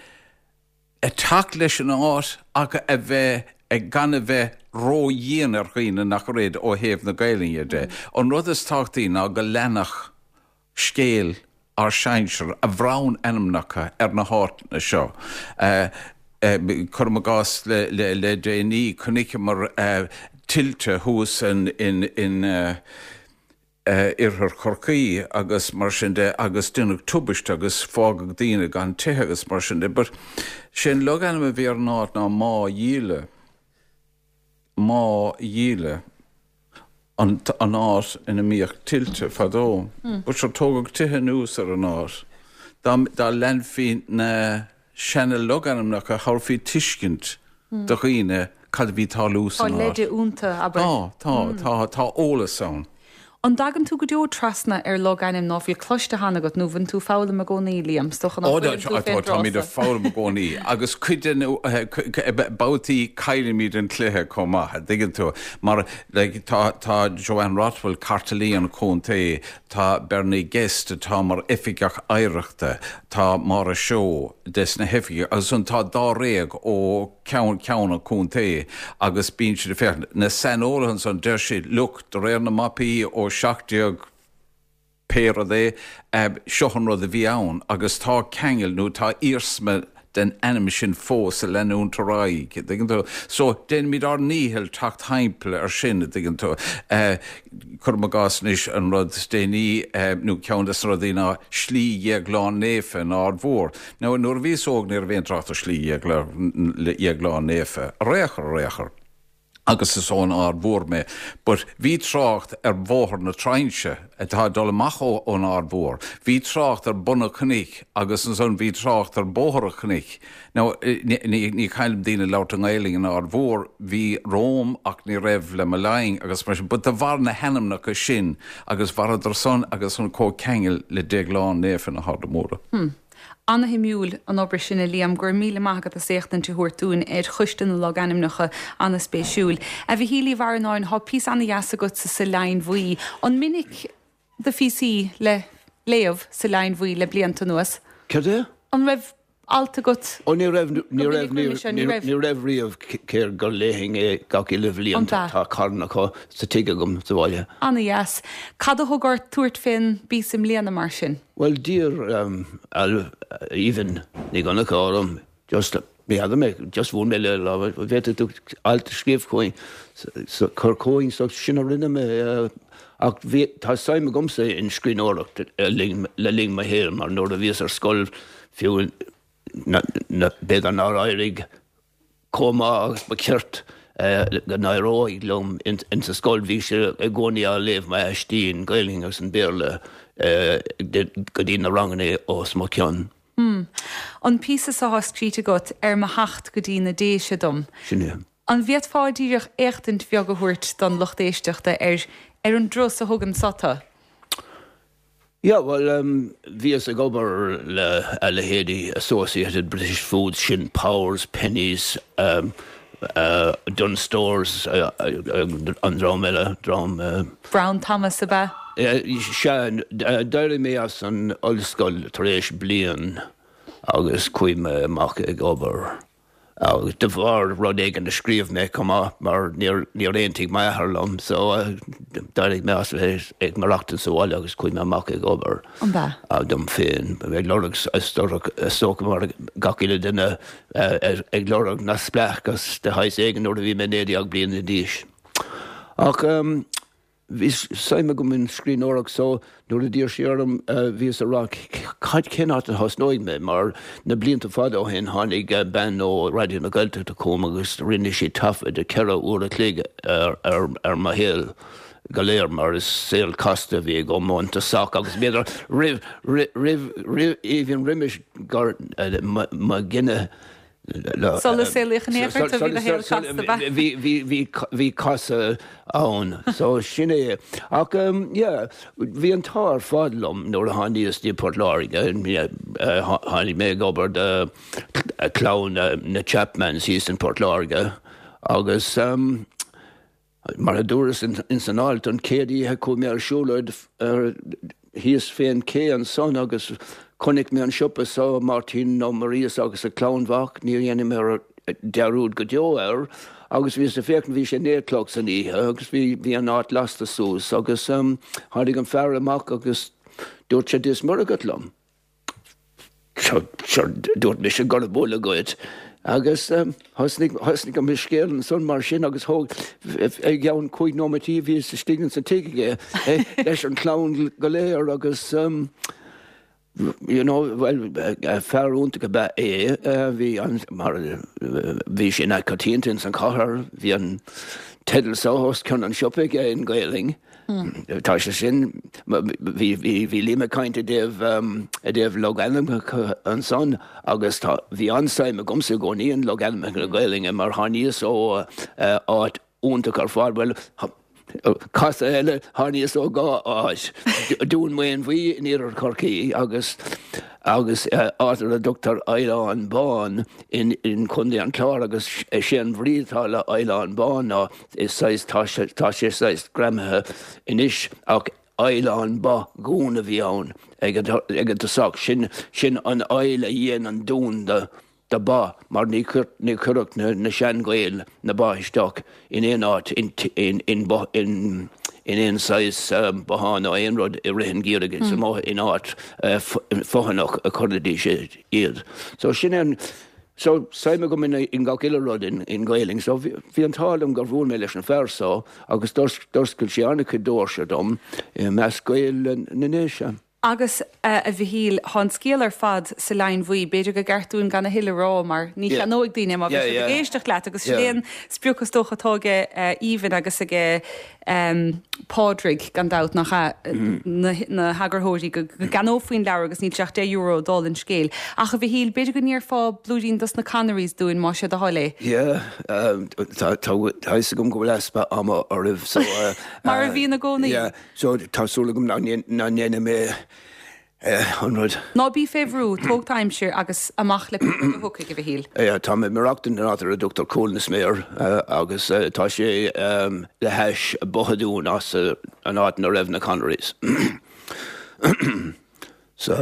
ag teacht leis an áit ach a bheith gan a bheith ró-dhian ar dhaoine nach raibh ó thaobh na Gaelainne de. An rud is tábhachtaí ná go leanfadh scéal ár sinsear a bhronn ainmneacha ar na háiteanna seo. Cuirim i gcás le déanaí, chonaiceamar tuilte thuas in oirthear Chorcaí agus mar sin de agus deineadh tubaiste agus fágadh daoine gan tithe agus mar sin de. But sé an logainm a bhí ar an áit ná Má Dhíle. Má Dhíle. An áit ina mbíodh tuilte fadó. But sure tógadh tithe anuas ar an áit. Dá leanfaí na seana logainmneacha thabharfaí tuiscint do dhaoine cad a bhí ag tarlú san áit. Tá leide iontu, abair. Tá, tá, tá, tá eolas ann. An dtagann tú go deo trasna ar logainm ná fuil cloiste cheana agat nó bhfuil tú ag foghlaim i gcónaí, Liam? Is dócha nach bhfuileann tú fén Tá, táimid ag foghlaim i gcónaí agus cuid den, babhtaí caillimid an cluiche chomh maith, an dtuigeann tú? Mar like tá, tá Joanne Rothwell, cartlannaí an chontae, tá Bernie Guest atá mar oifigeach oidhreachta, tá Máire Seoighe des na hoifigigh agus ansan tá dáréag ó ceann ceann an chontae agus bíonn siad ag féachaint. Na saineolaithe ansan, deir siad, look, de réir na mapaí ó 17 pé rud é, seo an rud a bhí ann agus tá ceangal nó tá iarsma den ainm sin fós ag leanúint ar aghaidh, an dtuigeann tú. So, déanaimid ár ndícheall teacht thimpeall ar sin, an dtuigeann tú. Cuirim i gcás anois an rud is déanaí, nó ceann des na rudaí ná Slí Dhéagláin Naofa in Aird Mhór. Now, nuair a bhíos óg ní raibh aon trácht ar Slí Dhéagláin Naofa, ar aon chor, ar aon chor, agus is ón Aird Mhór mé, but bhí trácht ar Bhóthar na Trinse atá ag dul amach ón Aird Mhór, bhí trácht ar Bun an Chnoic agus ansan bhí trácht ar Bóthar an Chnoic. Now, ní chaillim daoine ag labhairt i nGaelainn in Aird Mhór, bhí romham ach ní raibh le mo linn agus mar sin, but de bharr na hainmneacha sin agus mhaireadar san agus an comhcheangal le Déaglán Naofa na hArda Móire. Hmm. Ana-shuimiúil an obair sin a Liam, go raibh míle maith agat as éachtaint a thabhairt dúinn ar Choiste na Logainmneacha, ana-spéisiúil. A Mhichíl Uí Bhraonáin, thá píosa ana-dheas agatsa sa Leidhin Bhuí. An minic do phíosaí le léamh sa Leidhin Bhuí le blianta anuas? Céard é? An raibh alt agat Ó ní raibh, ní raibh, ní raibh, ní raibh riamh cé gur léifinn é gach uile bhliain. Tá carn acu sa tigh agam sa bhaile. Ana-dheas. Cad a thug ort tabhairt fén bpíosa i mbliana mar sin? Bhuel d'iarr Aoibhinn Ní Dhonncha orm just, ní fheadar mé, just bhuail mé léi lá, an bhféadfadh tú alt a scríobh chugainn, cur chugainn, so sin a rinne mé. Ach bhí, tá suim agamsa in scríbhneoireacht le linn mo shaoil mar nuair a bhíos ar scoil fiú b'fhéidir nár éirigh chomh maith agus ba cheart go n-éireodh liom insa scoil. Bhí sé i gcónaí á léamh m'aistí in Gaelainn agus in Béarla go dtí na ranganna os mo chionn. Hmm. An píosa so thá scríte agat ar mo theacht go dtí na Déise dom. Sin é. An bhféadfá díreach éachtaint bheag a thabhairt don lucht éisteachta ar ar an dturas a thugann so tu? Yeah, bhuel, bhíos ag obair le a leithéidí Associated British Foods, sin Powers, Penneys, Dunnes Stores, an dream eile, dream. Brown Thomas, ab ea? Sea, d'éirigh mé as an ollscoil tar éis bliain agus chuaigh mé amach ag obair. Agus de bharr rud éigin a scríobh mé chomh maith, mar níor aontaigh m'athair liom, so d'éirigh mé as bheith ag maireachtaint sa bhaile agus chuaigh mé amach ag obair dom féin, ag lorg, is dócha mar gach uile duine, ag lorg neamhspleáchas de shaghas éigin nuair a bhí mé 19 bliana d'aois. Ach. Bhí suim agam in scríbhneoireacht so nuair a d'iarr sí orm bhíos ag rá cad cén áit a thosnóidh mé mar na blianta fada ó shin tháinig bean ó Raidió na Gaeltachta chugam agus rinne sí taifead de cheithre uair a chloig ar mo shaol go léir mar is saol casta a bhí agam ón tosach agus b'fhéidir roimh roimh roimh even roimis gur mo ghineadh Sula saolaíodh in aon chor, bhí do shaol casta, ab ea? Bhí, bhí casadh ann, so sin é. Ach yeah, bhí an t-ádh ar fad liom nuair a tháiníos dtí Port Láirge, tháinig mé ag obair do chlann na Chapmans thíos in Port Láirge agus. Mar a dúras ins an alt, an chéad oíche chuaigh mé ar siúlóid thíos fén ché ansan agus chonaic mé an siopa so, Máirtín Ó Muiríosa agus a chlann mhac, ní dhéanfaidh mé dearúd go deo air, agus bhíos ag féachaint, bhí sé 9 a chlog san oíche agus bhí, bhí an áit lasta suas agus tháinig an fear amach agus dúirt sé Dia is Muire dhuit liom. Sure, dúirt mise go raibh buile dhuit agus thosnaigh, thosnaigh an scéal ansan mar sin agus thóg, i gceann chúig nóimeataí bhíos istigh insa tigh aige leis an chlann go léir agus you know, bhuel, fear iontach ab ea é, bhí an, mar, bhí sé an-choitianta ins an chathair, bhí an teideal so os cionn an siopa aige in Gaelainn. Tá sé sin, bhí, bhí, bhí Liam ag caint i dtaobh, i dtaobh logainmneacha ansan agus tá, bhí an-suim agamsa i gcónaí in logainmneacha na Gaelainne mar tháiníos ó áit iontach ar fad, bhuel, casadh eile, tháiníos ó dhá áit, Dún Maonmhuí in iarthar Chorcaí agus, agus áit ar a dtugtar Oileán Bán in, in Contae an Chláir agus sé an bhrí atá le Oileán Bán ná Is saghas, tá sé, tá sé saghas greamaithe anois ach oileán ba dhún a bhí ann ag an, ag an tosach. Sin, sin an aill a dhein an dún do, do ba mar ní chuir, ní chuirfeadh na, na sean-Ghaeil na ba isteach in aon áit, in, in, in, in, in aon saghas bothán nó aon rud i rith an gheimhridh. Is amuigh in áit fothanach a chuiridís iad. So sin an, So, suim agam in gach uile rud in Gaelainn. So, bhí an t-ádh liom gur bhuail mé leis an fear so agus d'oscail sé an-chuid doirse dom i measc Gaeil na nDéise. Agus, a Mhichíl, tá an scéal ar fad sa Leidhinn Bhuí. B'fhéidir gur gceart dúinn gan a thuilleadh a rá mar ní cheannóidh daoine é má bhí siad ag éisteacht leat agus sin é an sprioc is dócha atá aige Aoibhinn agus aige Pádraig, gan dabht, nach ea, na heagarthóirí, go gceannófaí an leabhar agus níl sé ach €10 dála an scéil. Ach, a Mhichíl, b'fhéidir go ndéarfá blúirín dos na Connerys dúinn, más é do thoil é. Yeah, tá a fhios agam go bhfuil easpa ama oraibh, so. Mar a bhíonn i gcónaí. Yeah, so tá súil agam nach ndéanfaidh mé an rud. Ná bí fé bhrú, tóg d'aimsir agus amach le pé rud a thiocfaidh, a Mhichíl. Tá mé ag maireachtaint in áit ar a dtugtar Cúil na Sméar agus tá sé le hais Bothadún as an áit ina raibh na Connerys. Sa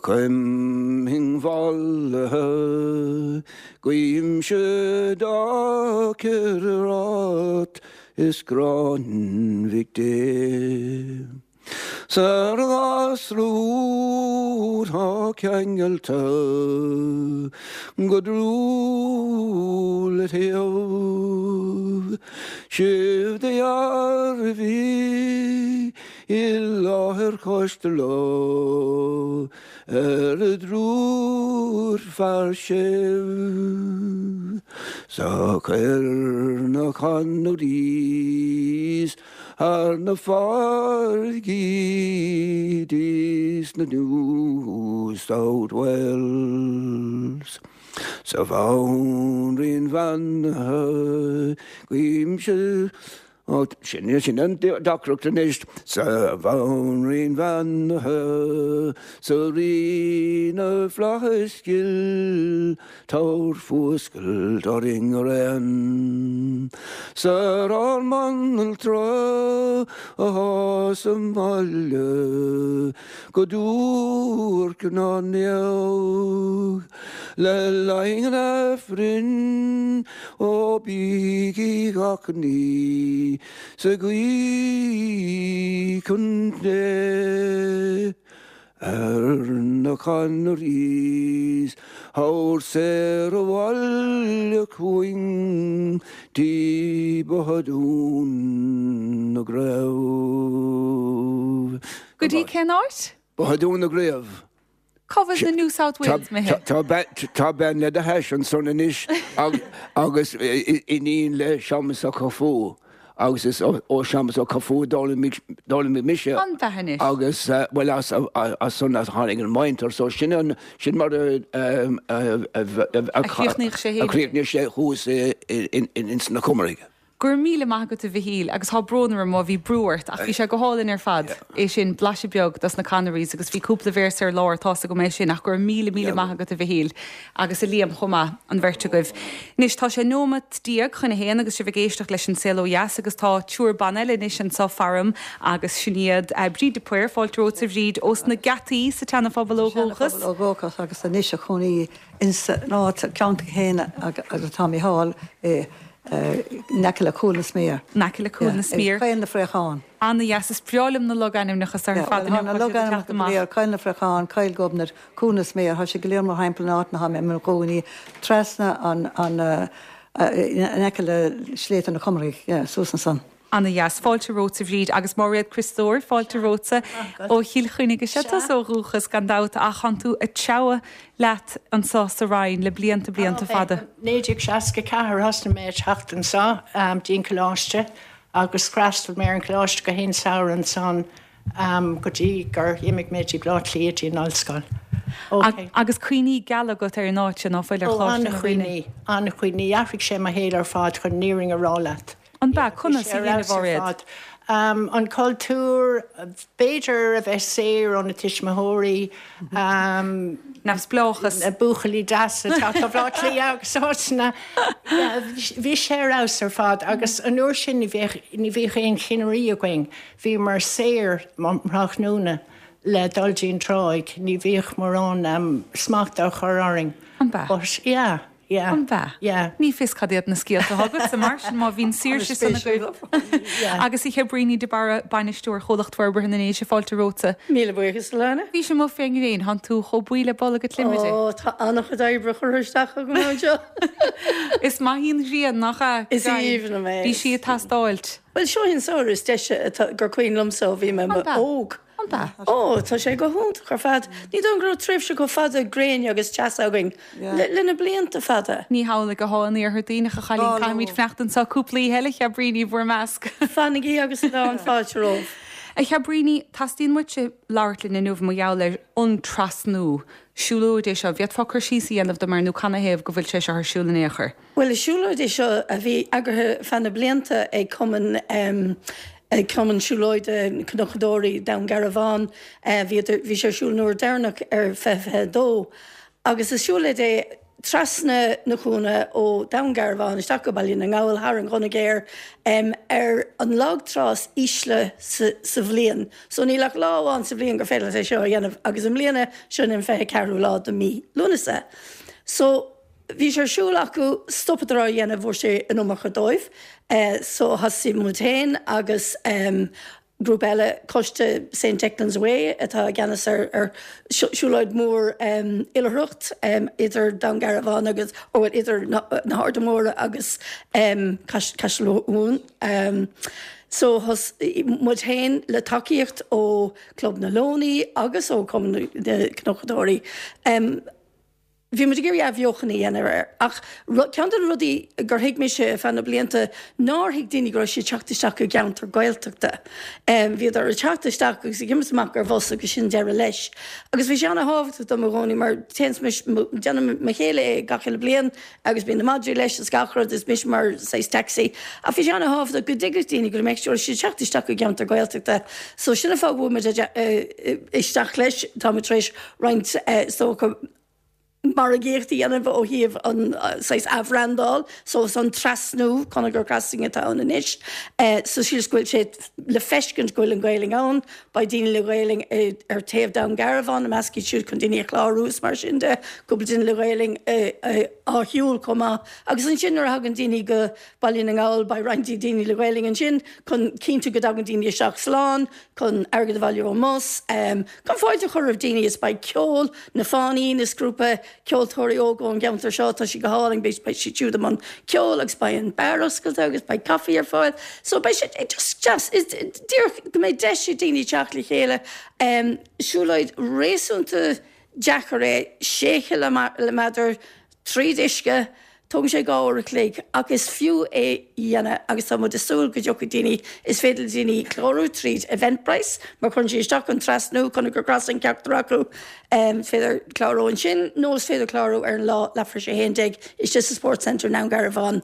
choim mhallaithe guímse dá ciorrat is gráin Mhic Dé. 'S ar an ghasra úr 'tá ceangailte go dlúth le taobh, sibh do dhearbhaigh i láthair choiste leo ar a dtriúr fear séimh 's a chuir na Connerys Thar na farraigí dtí sna New South Wales. 'S a Bhanríon bheannaithe, guímse, ó, sin, sin an deacracht anois. 'S a Bhanríon bheannaithe, 's a Rí na bhFlaitheas ghil, Tabhair fuascailt orainn araon 's ar ár mbanaltra athá sa mbaile go duairc ná neamh le linn an Aifrinn ó bígí gach ní sa ghuí chun Dé. Ar na Connerys thabhair saor abhaile chugainn dtí Bothadún na gCraobh. Go dtí cén áit? Bothadún na gCraobh. Cá bhfuil na New South Wales, Micheál? Tá bean le do hais ansan anois agus iníon le Séamus Ó Cathfú. Agus is ó Séamus Ó Cathfú a d'fhoghlaimigh mise. An bheatha anois. Agus, bhuel, as san a tháinig an mhuintir. So sin an, sin mar a A chríochnaigh sé a chríochnaigh sé thuas ins na Comaraigh. Go raibh míle maith agat a Mhichíl agus tá brón orm má bhí brú ort ach bhí sé go hálainn ar fad, é sin, blaiseadh beag dos na Connerys agus bhí cúpla véarsa ar lár, tá's agam é sin ach go raibh míle míle maith agat a Mhichíl agus a Liam chomh maith, an bheirt agaibh. Anois tá sé nóimeat chun a haon agus sibh ag éisteacht leis An Saol Ó Dheas agus tá triúr ban eile anois anseo faram agus sin iad Bríd de Paor, fáilte romhat a Bhríd, ós na Geataí sa tSeana-Phobal ó dhúchas. Seana-Phobal ó dhúchas agus anois a chónaí ins an áit, ceantar chéanna agus atá Mícheál i in aice le Cúil na Smior. In aice le Cúil na Smior. Coill na Fraochán. Ana-dheas. Is breá liom na logainmneacha so ar fad inniu. Tá na logainmneacha go léir, Coill na Fraochán, Coill Ghobnait, Cúil na Smior, tá siad go léir mórthimpeall an áit ina tá mé i mo chónaí, trasna an, in aice le Sléibhte na Comarthaigh, yeah, suas ansan. Ana-dheas. Fáilte romhat a Bhríd. Agus Máiréad Criostóir, fáilte romhatsa ó Chill Chainnigh. Is ea tusa ó dhúchas, gan dabht, ach tánn tú ag treabhadh leat anso sa Rinn le blianta, blianta fada. 1964 thosnaigh mé ag teacht anso dtí an coláiste agus d'fhreastail mé ar an choláiste gach aon samhradh ansan go dtí gur imigh mé dtí Baile Átha Cliath dtí an ollscoil. Ok. Agus cuimhní geala agat ar an áit seo, ná fuil, ar Ó, Choláiste na Rinne? an-chuimhní, an-chuimhní. Athraigh sé mo shaol ar fad chun an fhírinne a rá leat. An b'ea? Conas a dhein, a Mháiréad? An cultúr, b'fhéidir a bheith saor ó na tuismitheoirí. Neamhspleáchas. Na buachaillí deasa ag teacht ó Bhaile Átha Cliath agus áiteanna. Bhí sé ar fheabhas ar fad agus an uair sin ní bhíodh, ní bhíodh aon chinnirí againn. Bhíomar saor um thráthnóna le dul dtí an tráigh, ní bhíodh mórán smachta á chur orainn. An b'ea? But yeah. Yeah. An b'ea? Yeah. Ní fios cad iad na scéalta atá agatsa mar sin má bhíonn saoirse san agaibh. Agus a Chabríní de Barra, Bainisteoir Chomhlacht Forbartha na nDéise, fáilte romhatsa. Míle buíochas, Alana. Bhís amuigh fén ngréin, thánn tú chomh buí le bolg adhmaid. Ó, tá an-chuid oibre curtha isteach agam anseo. Is maith í an ghrian, nach ea? Is aoibhinn liom é. Bhí sí ag teastáilt. Bhuel, seo í an samhradh is deise atá, gur cuimhin liomsa ó bhí mé óg. An b'ea? Ó, tá sé go hiontach ar fad. Ní dóigh liom go raibh tréimhse chomh fada gréine agus teasa againn le na blianta fada. Ní hamhlaidh athá an iarthar Duibhneach, a chailín. Caithfimid fanacht anseo cúpla oíche eile, a Chabríní, bhur measc. Fanaigí agus lán fáilte romhaibh. A Chabríní, teastaíonn uaitse labhairt linn inniu mar gheall ar an trasnú. Siúlóid é seo. Bhféadfá cur síos a dhéanamh dom air nó canathaobh go bhfuil sé seo ar siúl in aon chor? Bhuel, is siúlóid é seo a bhí eagraithe feadh na blianta ag Cumann ag Cumann Siúlóide Cnocadóirí Dhún Garbhán. Bhíodar, bhí sé ar siúl an uair deireanach ar 2022 agus is siúlóid é trasna na cuanna ó Dhún Garbhán isteach go Baile na nGall thar an Ghunna Ghéar ar an lag trá is ísle sa sa bhliain. So níl ach lá amháin sa bhliain gur féidir leat é seo a dhéanamh agus i mbliana sin an 24ú lá de mí Lúnasa. So. Bhí sé ar siúl acu, stopadar á dhéanamh, fuair sé an iomarca dóibh. So thosaigh muid féin agus grúpa eile, Coiste Saint Declan's Way atá i gceannas ar siúlóid mhór oilithreacht idir Dún Garbhán agus, ó bhuel idir na hArda Móra agus Caiseal Mumhan. So thosaigh muid féin le tacaíocht ó Club na Leonaí agus ó Cumann na Cnocadóirí. Bhí muid ag iarraidh athbheochan a dhéanamh air ach ceann de na rudaí gur thuig mise ar feadh na blianta nár thuig daoine go raibh siad ag teacht isteach i gceantar Gaeltachta. Bhíodar ag teacht isteach agus ag imeacht amach ar bhus agus sin deireadh leis. Agus bhí sé ana-thábhachtach dom i gcónaí mar téann mise, déanann mo chéile é gach uile bliain agus bíonn na madraí leis is gach rud is mise mar saghas taxi. Ach bhí sé ana-thábhachtach go dtuigfeadh daoine go mbeadh siad ag teacht isteach i gceantar Gaeltachta. So sin an fáth go bhfuil muid isteach leis. Tá muid tar éis roinnt is dócha margaíocht a dhéanamh ó thaobh an saghas athbhrandáil so is an trasnú Conagher Crossing atá ann anois so sílim go bhfuil sé le feiscint go bhfuil an Ghaelainn ann beidh daoine le Gaelainn ar taobh Dún Garbhán i measc iad siúd chun daoine a chlárú is mar sin de cúpla duine le Gaelainn á shiúl chomh maith agus ansin nuair a thagann daoine go Baile na nGall beidh roinnt daoine le Gaelainn ansin chun cinntiú go dtagann daoine isteach slán chun airgead a bhailiú ón mbus, chun fáilte a chur roimh daoine is beidh ceol, Na Fánaí, is grúpa ceoltóirí óga ón gceantar seo, tá siad go hálainn, beidh siad siúd i mbun ceoil agus beidh an beár oscailte agus beidh caife ar fáil. So beidh sé just deas, díreach go mbeidh deis ag daoine teacht le chéile. Siúlóid réasúnta deacair é, sé chiliméadar tríd uisce, tógann sé 2 uair a chloig ach is fiú é a dhéanamh agus tá muid ag súil go dtiocfaidh daoine, is féidir le daoine clárú tríd Eventbrite mar cuireann siad isteach an trasnú, Conagher Crossing ceachtar acu, is féidir clárú ansin nó is féidir clárú ar an lá leathuair tar éis 11 istigh sa Sports Centre i nDún Garbhán.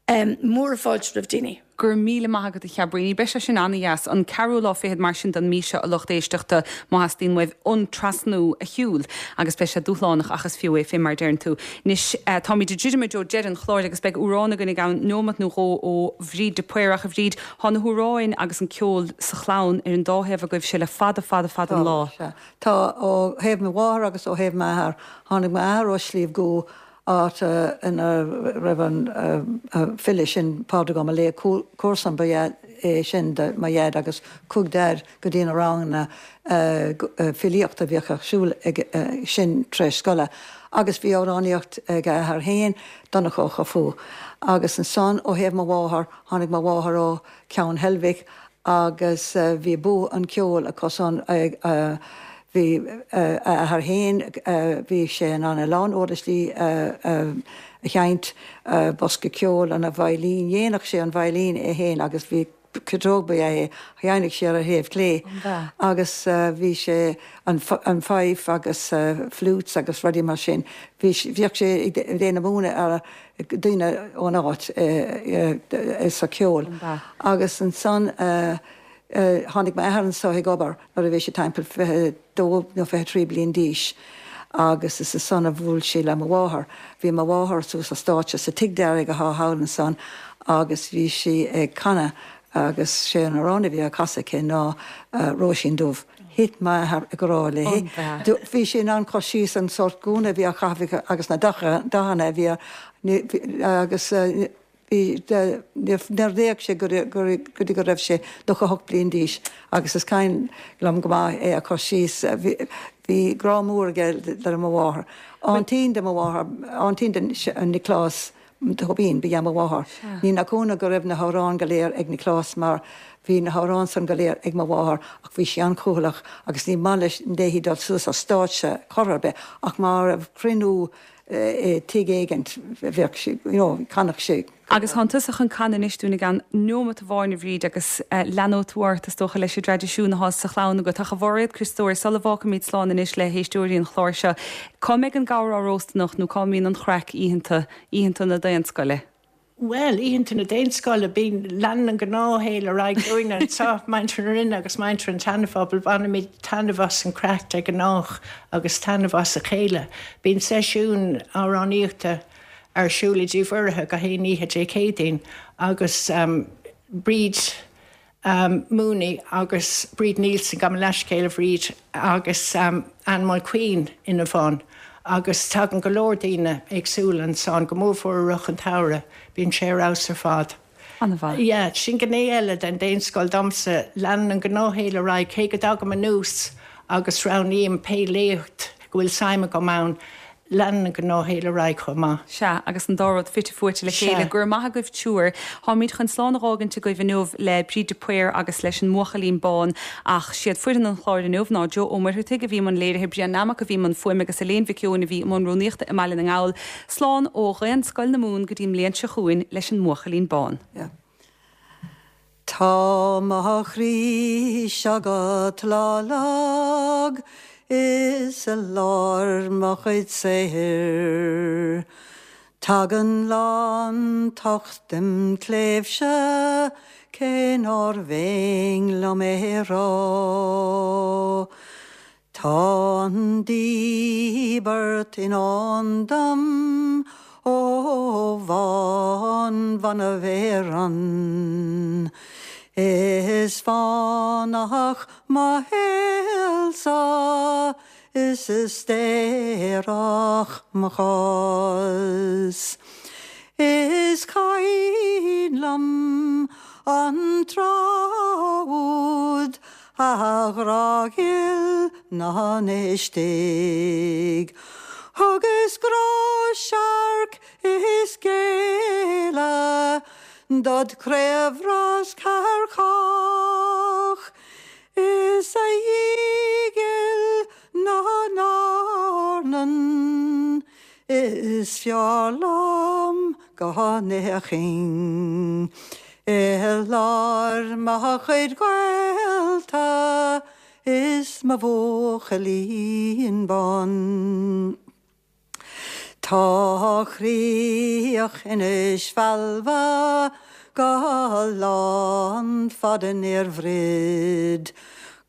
Mór-fháilte roimh daoine. Go raibh míle maith agat a Chabríní. Beidh sé sin ana-dheas. An ceathrú lá fichead mar sin den mí seo a lucht éisteachta má theastaíonn uaibh an trasnú a shiúl agus beidh sé dúshlánach ach is fiú é fé mar a deireann tú. Anois táimid ag druidim i dtreo deireadh an chláir agus beidh amhrán againn i gceann neomat nó dhó ó Bhríd de Paor ach a Bhríd, thá na hamhráin agus an ceol sa chlann ar an dá thaobh agaibhse le fada fada fada an lá. Tá, sea. Tá, ó thaobh mo mháthar agus ó thaobh m'athar. Tháinig m'athair ó Shliabh gCua áit ina raibh an file sin, Pádraig Ó Maolaodha, comharsan ba ea é sin do mo dhaid agus chuaigh Daid go dtí na ranganna filíochta a bhíodh ar siúl ag sin tar éis scoile agus bhí amhránaíocht ag a athair féin, Donncha Ó Cofaigh. Agus ansan ó thaobh mo mháthar, tháinig mo mháthair ó Cheann Heilbhic agus bhí bua an cheoil acusan, bhí a athair féin, bhí sé in ann a lán uirlisí a sheinnt, bosca ceoil, an veidhlín, dhéanadh sé an veidhlín é féin agus bhí ciotóg ba ea é, sheinneadh sé ar a thaobh clé agus bhí sé an fife agus flutes agus rudaí mar sin, bhí, bhíodh sé ag déanamh múineadh ar daoine ón áit sa cheol. Agus ansan tháinig m'athair anso ag obair nuair a bhí sé timpeall 22 nó 23 bliain d'aois agus is ansan a bhuail sé le mo mháthair. Bhí mo mháthair suas ar stáitse sa Tigh Dearg athá thall ansan agus bhí sí ag canadh agus sé an amhrán a bhí á casadh aici ná Róisín Dubh. Thit m'athair i ngrá léi. Bhí sé in ann cur síos an sórt gúna a bhí á chaitheamh aici agus na dathanna a bhí air agus bhí, níor éag sé go dtí go raibh sé 98 bliain d'aois agus is cuimhin liom go maith é a chur síos. Bhí grá mór aige le mo mháthair. Aintín de mo mháthair, aintín de Nioclás Tóibín, ba ea mo mháthair. Ní nach ionadh go raibh na hamhráin go léir ag Nioclás mar bhí na hamhráin san go léir ag mo mháthair ach bhí sí an-chúthaileach agus ní maith leis léi dul suas ar stáitse chor ar bith ach má raibh cruinniú i tigh éigint bheadh sí, you know, chanadh sí. Agus thánn tusa chun canadh anois dúinn i gceann neomat amháin, a Bhríd, agus leanóidh tú ort, is dócha, leis an dtraidisiún athá sa chlann agat. Ach a Mhairéad Criostóir, sula bhfágfaimid slán anois le héisteoirí an chláir seo, cá mbeidh an gabhar á róstadh anocht nó cá mbíonn an chraic oícheanta, oícheanta na Daonscoile? Bhuel, oícheanta na Daonscoile, bíonn, leanann an gnáthshaol ar aghaidh dúinne anseo, muintir na Rinne agus muintir an tSeanaphobail, bainimid taitneamh as an chraic de ghnáth agus taitneamh as a chéile. Bíonn seisiún amhránaíochta ar siúl i dTigh Mhuirithe gach aon oíche Dé Céadaoin agus Bríd Mooney agus Bríd Neilson, gabh mo leathscéal a Bhríd, agus Anne Mulqueen ina bhun agus tagann go leor daoine éagsúla ansan, go mórmhór i rith an tsamhraidh, bíonn sé ar fheabhas ar fad. An-mhaith. Yeah, sin gné eile den Daonscoil domsa, leanann an gnáthshaol ar aghaidh, cé go dtagaim anuas agus roghnaím pé léacht go bhfuil suim agam ann, Leanann an gnáthshaol ar aghaidh chomh maith. Sea, agus an dá rud fite fuaite le chéile. Go raibh maith agaibh triúr. Táimid chun slán a dh'fhágaint agaibh inniu le Bríd de Paor agus leis an mBuachaillín Bán. Ach siad foireann an chláir inniu ná Joe Ó Muircheartaigh a bhí i mbun léirithe, Brian Nammock a bhí i mbun fuaime agus Elaine Mhic Eoin a bhí i mbun rúnaíochta i mBaile na nGall. Slán ó Dhaonscoil na Mumhan go dtí an mbliain seo chugainn leis an mBuachaillín Bán. Tá mo chroí seo go tláth lag is i lár mo chuid saothair. Tagann lántocht im chléibhse cé nár bhinn liom é rá. Tá an díbirt i ndán dom ó bhánbhanbh Éireann. Is fánach mo shaol-sa is is daorach mo chás. Is cuimhin liom an tráth úd A ghrá ghil na n-istigh. Thugas grá searc is géilleadh dod chraobhrascadh ar chách, Is a Dhia ghil na n-earnan is fearr liom go n-fhéachfainn i lár mo chuid gaolta is mo bhuachaillín bán. Tá críoch Inis Failbhe go lán fada níor bhroid,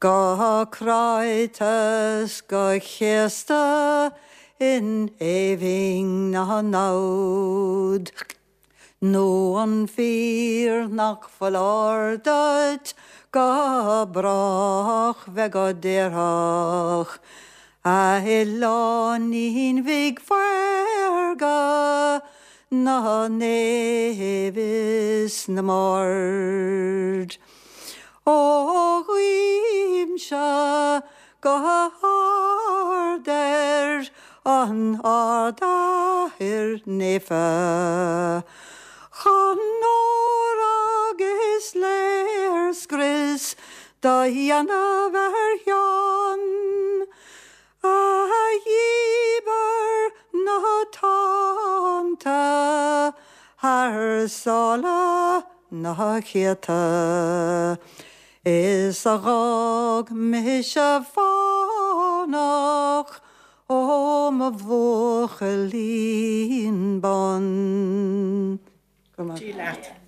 go cráite 's go céasta in éibhinn na namhad. Nó an fíor nach foláir duit go brách bheith go daorthach, a oileáinín bhig mhaorga na naomh is na mbard? Ó guímse go hard ar an Ard-Athair Naofa, chun ór agus léirscrios do dhéanamh ar Sheán, a dhíbir na tonnta thar sáile na céadta. Is a dh'fhág mise fánach ó mo bhuachaillín bán. Go raibh maith. Dia leat.